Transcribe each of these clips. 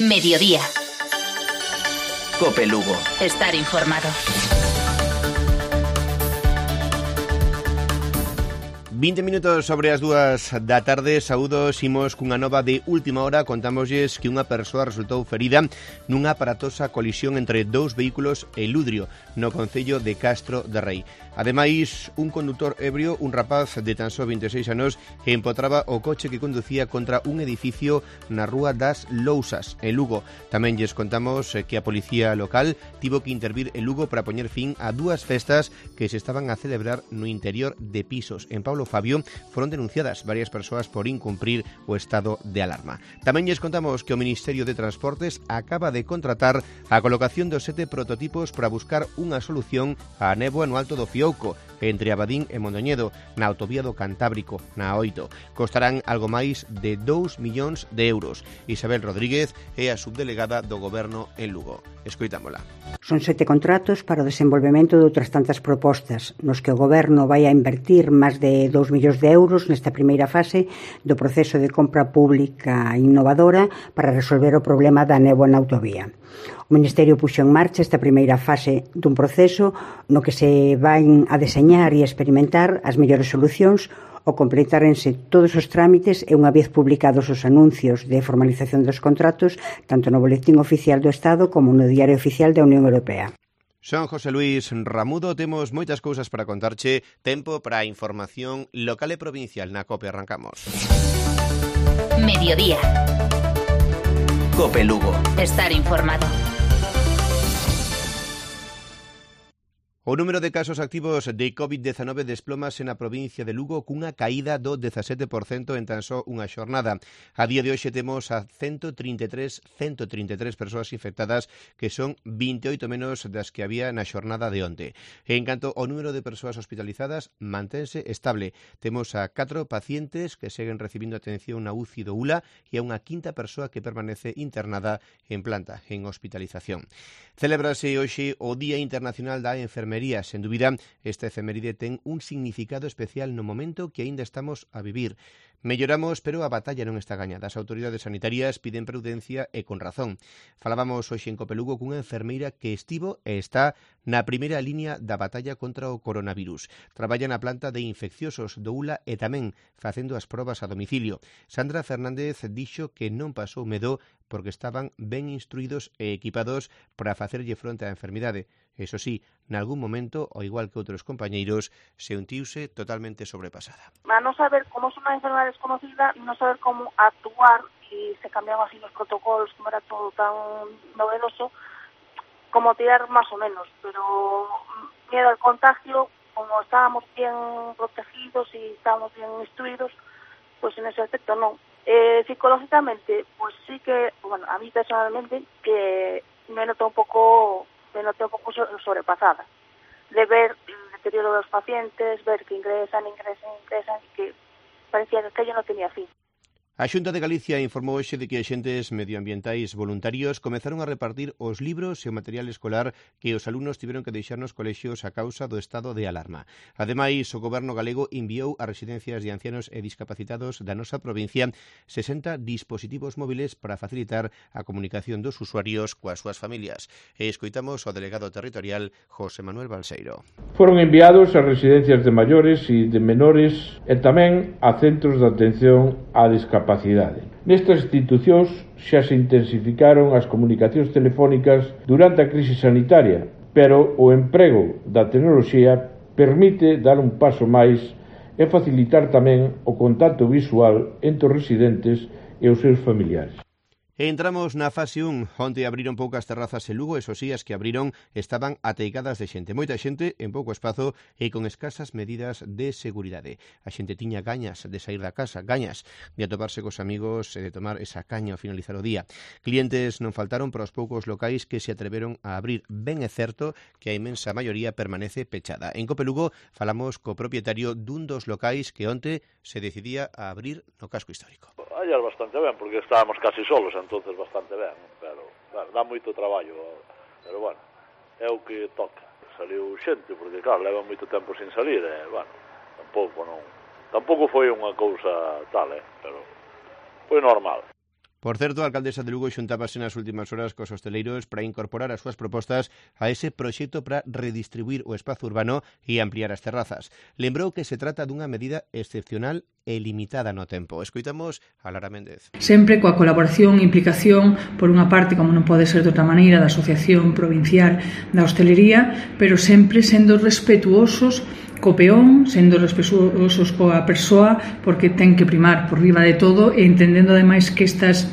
Mediodía. Cope Lugo. Estar informado. 20 minutos sobre as 2 da tarde. Saúdos, imos cunha nova de última hora. Contámoslles que unha persoa resultou ferida nunha aparatosa colisión entre dous vehículos en Ludrio, no concello de Castro de Rei. Ademais, un condutor ebrio, un rapaz de tan só 26 anos, empotraba o coche que conducía contra un edificio na Rúa das Lousas, en Lugo. Tamén lles contamos que a policía local tivo que intervir en Lugo para poñer fin a dúas festas que se estaban a celebrar no interior de pisos. En Pablo Fabio foron denunciadas varias persoas por incumprir o estado de alarma. Tamén lles contamos que o Ministerio de Transportes acaba de contratar a colocación dos 7 prototipos para buscar unha solución á néboa no Alto do Fiouco, entre Abadín e Mondoñedo, na autovía do Cantábrico, na 8. Costarán algo máis de 2 millóns de euros. Isabel Rodríguez é a subdelegada do Goberno en Lugo. Escoitámola. Son 7 contratos para o desenvolvemento de outras tantas propostas, nos que o Goberno vai a invertir máis de 2 millóns de euros nesta primeira fase do proceso de compra pública innovadora para resolver o problema da néboa na autovía. O Ministerio puxo en marcha esta primeira fase dun proceso no que se van a deseñar e experimentar as mellores solucións ao completárense todos os trámites e unha vez publicados os anuncios de formalización dos contratos tanto no Boletín Oficial do Estado como no Diario Oficial da Unión Europea. Son José Luis Ramudo, temos moitas cousas para contarche, tempo para a información local e provincial na COPE. Arrancamos. Mediodía. Cope Lugo. Estar informado. O número de casos activos de COVID-19 desplómase na provincia de Lugo cunha caída do 17% en tan só unha xornada. A día de hoxe temos a 133 persoas infectadas, que son 28 menos das que había na xornada de onte. En canto ao número de persoas hospitalizadas, mantense estable. Temos a 4 pacientes que seguen recibindo atención na UCI do ULA e a unha quinta persoa que permanece internada en planta, en hospitalización. Celébrase hoxe o Día Internacional da Enfermería. Sen dúbida, esta efeméride ten un significado especial no momento que aínda estamos a vivir. Melloramos, pero a batalla non está gañada. As autoridades sanitarias piden prudencia e con razón. Falábamos hoxe en Cope Lugo cunha enfermeira que estivo e está na primeira liña da batalla contra o coronavirus. Traballa na planta de infecciosos do ULA e tamén facendo as probas a domicilio. Sandra Fernández dixo que non pasou medo porque estaban ben instruídos e equipados para facerlle fronte á enfermidade. Eso sí, nalgún momento, ao igual que outros compañeiros, se untiuse totalmente sobrepasada. A non saber como é unha enfermedade desconocida, non saber como actuar, e se cambiaban así los protocolos, como era todo tan novedoso, como tirar máis ou menos, pero miedo al contagio, como estábamos bien protegidos e estábamos bien instruidos, pues en ese aspecto non. Psicológicamente, pues sí que, bueno, a mí personalmente, que me noto un pouco sobrepasada, de ver el deterioro de los pacientes, ver que ingresan, que parecía que aquello no tenía fin. A Xunta de Galicia informou hoxe de que axentes medioambientais voluntarios comezaron a repartir os libros e o material escolar que os alumnos tiveron que deixar nos colexios a causa do estado de alarma. Ademais, o Goberno galego enviou a residencias de ancianos e discapacitados da nosa provincia 60 dispositivos móviles para facilitar a comunicación dos usuarios coas súas familias. E escoitamos ao delegado territorial José Manuel Balseiro. Foron enviados a residencias de maiores e de menores e tamén a centros de atención á discapacidade. Nestas institucións xa se intensificaron as comunicacións telefónicas durante a crise sanitaria, pero o emprego da tecnoloxía permite dar un paso máis e facilitar tamén o contacto visual entre os residentes e os seus familiares. Entramos na fase 1. Onte abriron poucas terrazas en Lugo, esos as que abriron estaban ateigadas de xente. Moita xente en pouco espazo e con escasas medidas de seguridade. A xente tiña gañas de sair da casa, gañas de atoparse cos amigos e de tomar esa caña ao finalizar o día. Clientes non faltaron para os poucos locais que se atreveron a abrir. Ben é certo que a inmensa maioría permanece pechada. En Cope Lugo falamos co propietario dun dos locais que onte se decidía a abrir no casco histórico. Ayer bastante ben, porque estábamos casi solos, entonces bastante ben, pero bueno, dá moito traballo, pero bueno, é o que toca. Saliu xente, porque claro, leva moito tempo sin salir, e bueno, tampouco foi unha cousa tal, pero foi normal. Por certo, a alcaldesa de Lugo xuntábase nas últimas horas cos hosteleiros para incorporar as súas propostas a ese proxecto para redistribuir o espazo urbano e ampliar as terrazas. Lembrou que se trata dunha medida excepcional e limitada no tempo. Escoitamos a Lara Méndez. Sempre coa colaboración e implicación, por unha parte, como non pode ser de outra maneira, da Asociación Provincial da Hostelería, pero sempre sendo respetuosos co peón, sendo respetuosos coa persoa, porque ten que primar por riba de todo e entendendo ademais que estas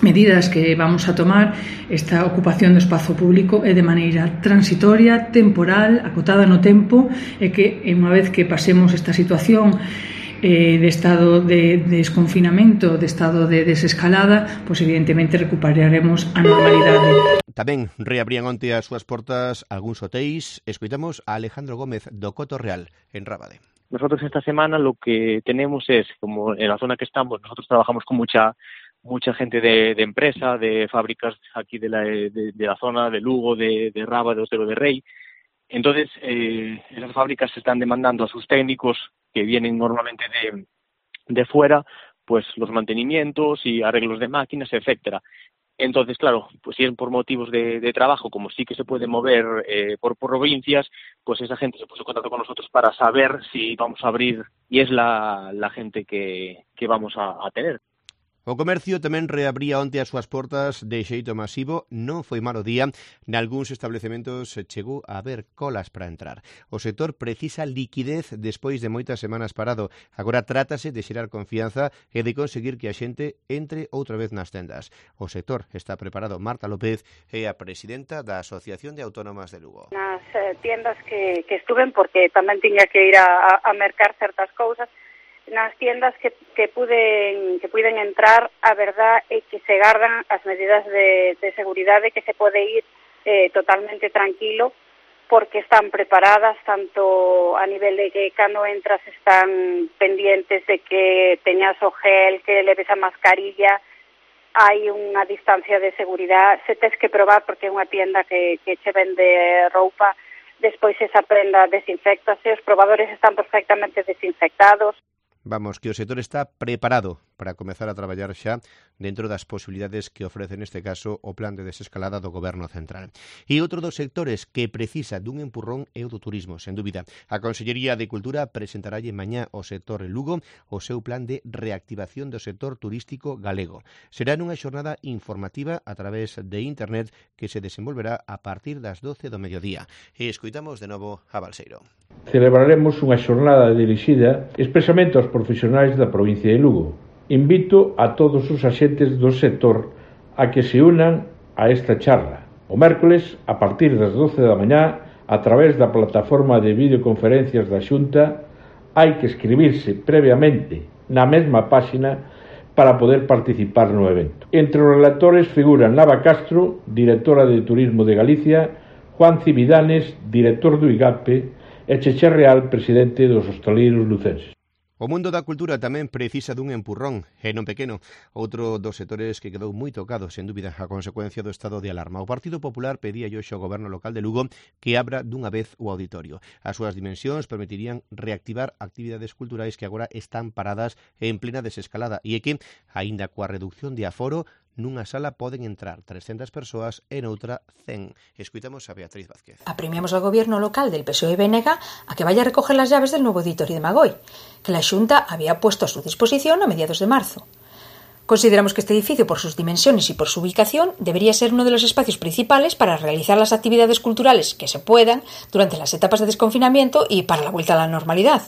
medidas que vamos a tomar, esta ocupación do espazo público é de maneira transitoria, temporal, acotada no tempo, e que unha vez que pasemos esta situación de estado de desconfinamento, de estado de desescalada, pois evidentemente recuperaremos a normalidade. Tamén reabrían onte as súas portas algúns hotéis. Escoitamos a Alejandro Gómez do Coto Real, en Rábade. Nosotros esta semana lo que tenemos es, como en la zona que estamos, nosotros trabajamos con mucha gente de empresa, de fábricas aquí de la zona de Lugo, de Rábade, de Otero de Rei. Entonces, esas fábricas están demandando a sus técnicos que vienen normalmente de fuera, pues los mantenimientos y arreglos de máquinas, etcétera. Entonces, claro, pues si es por motivos de trabajo, como sí que se puede mover por provincias, pues esa gente se puso en contacto con nosotros para saber si vamos a abrir, y es la gente que vamos a tener. O comercio tamén reabría onte as súas portas de xeito masivo. Non foi malo día. Nalgúns establecementos chegou a haber colas para entrar. O sector precisa liquidez despois de moitas semanas parado. Agora trátase de xerar confianza e de conseguir que a xente entre outra vez nas tendas. O sector está preparado. Marta López é a presidenta da Asociación de Autónomas de Lugo. Nas tiendas que estuven, porque tamén tiña que ir a mercar certas cousas, nas tiendas que puiden entrar, a verdad é que se gardan as medidas de seguridade, que se pode ir totalmente tranquilo, porque están preparadas, tanto a nivel de que cando entras están pendientes de que teñas o gel, que leves a mascarilla, hai unha distancia de seguridade, se tes que probar, porque é unha tienda que che vende roupa, despois esa prenda desinfectase, os probadores están perfectamente desinfectados. Vamos, que o sector está preparado para comezar a traballar xa dentro das posibilidades que ofrece neste caso o plan de desescalada do Goberno Central. E outro dos sectores que precisa dun empurrón é o do turismo, sen dúbida. A Consellería de Cultura presentaralle mañá ao sector Lugo o seu plan de reactivación do sector turístico galego. Será nunha xornada informativa a través de internet que se desenvolverá a partir das 12 do mediodía. E escoitamos de novo a Balseiro. Celebraremos unha xornada dirixida expresamente aos profesionais da provincia de Lugo. Invito a todos os axentes do sector a que se unan a esta charla. O mércoles, a partir das 12 da mañá, a través da plataforma de videoconferencias da Xunta, hai que escribirse previamente na mesma páxina para poder participar no evento. Entre os relatores figuran Nava Castro, directora de Turismo de Galicia, Juan Cividanes, director do IGAPE, e Cheche Real, presidente dos hostaleiros lucenses. O mundo da cultura tamén precisa dun empurrón, e non pequeno. Outro dos sectores que quedou moi tocado, sen dúbida, a consecuencia do estado de alarma. O Partido Popular pedía hoxe ao Goberno local de Lugo que abra dunha vez o auditorio. As súas dimensións permitirían reactivar actividades culturais que agora están paradas en plena desescalada, e é que, aínda coa reducción de aforo, nunha sala poden entrar 300 persoas e noutra 100. Escuitamos a Beatriz Vázquez. Apremiamos ao gobierno local del PSOE BNG a que vaya a recoger las llaves del nuevo auditorio de Magoi, que la Xunta había puesto a su disposición a mediados de marzo. Consideramos que este edificio, por sus dimensiones y por su ubicación, debería ser uno de los espacios principales para realizar las actividades culturales que se puedan durante las etapas de desconfinamiento y para la vuelta a la normalidad.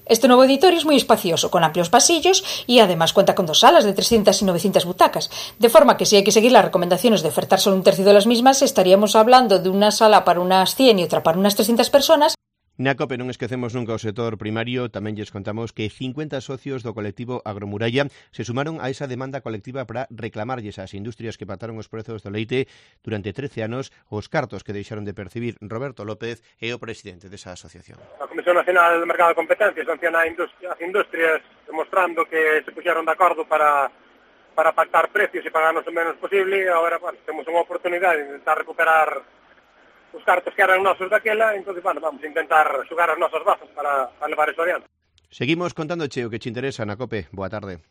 Este nuevo auditorio es muy espacioso, con amplios pasillos y además cuenta con 2 salas de 300 y 900 butacas, de forma que si hay que seguir las recomendaciones de ofertar solo un tercio de las mismas, estaríamos hablando de una sala para unas 100 y otra para unas 300 personas. Na COPE non esquecemos nunca o sector primario. Tamén lles contamos que 50 socios do colectivo Agromuralla se sumaron a esa demanda colectiva para reclamarlles ás industrias que pactaron os prezos do leite durante 13 anos os cartos que deixaron de percibir. Roberto López é o presidente desa asociación. A Comisión Nacional do Mercado de Competencia sanciona as industrias demostrando que se puxeron de acordo para pactar precios e pagarnos o menos posible. Agora, temos unha oportunidade de intentar recuperar os cartos que eran nosos daquela, entonces, vamos a intentar xogar as nosas bazas para levar eso adiante. Seguimos contándoche o que te interesa na COPE. Boa tarde.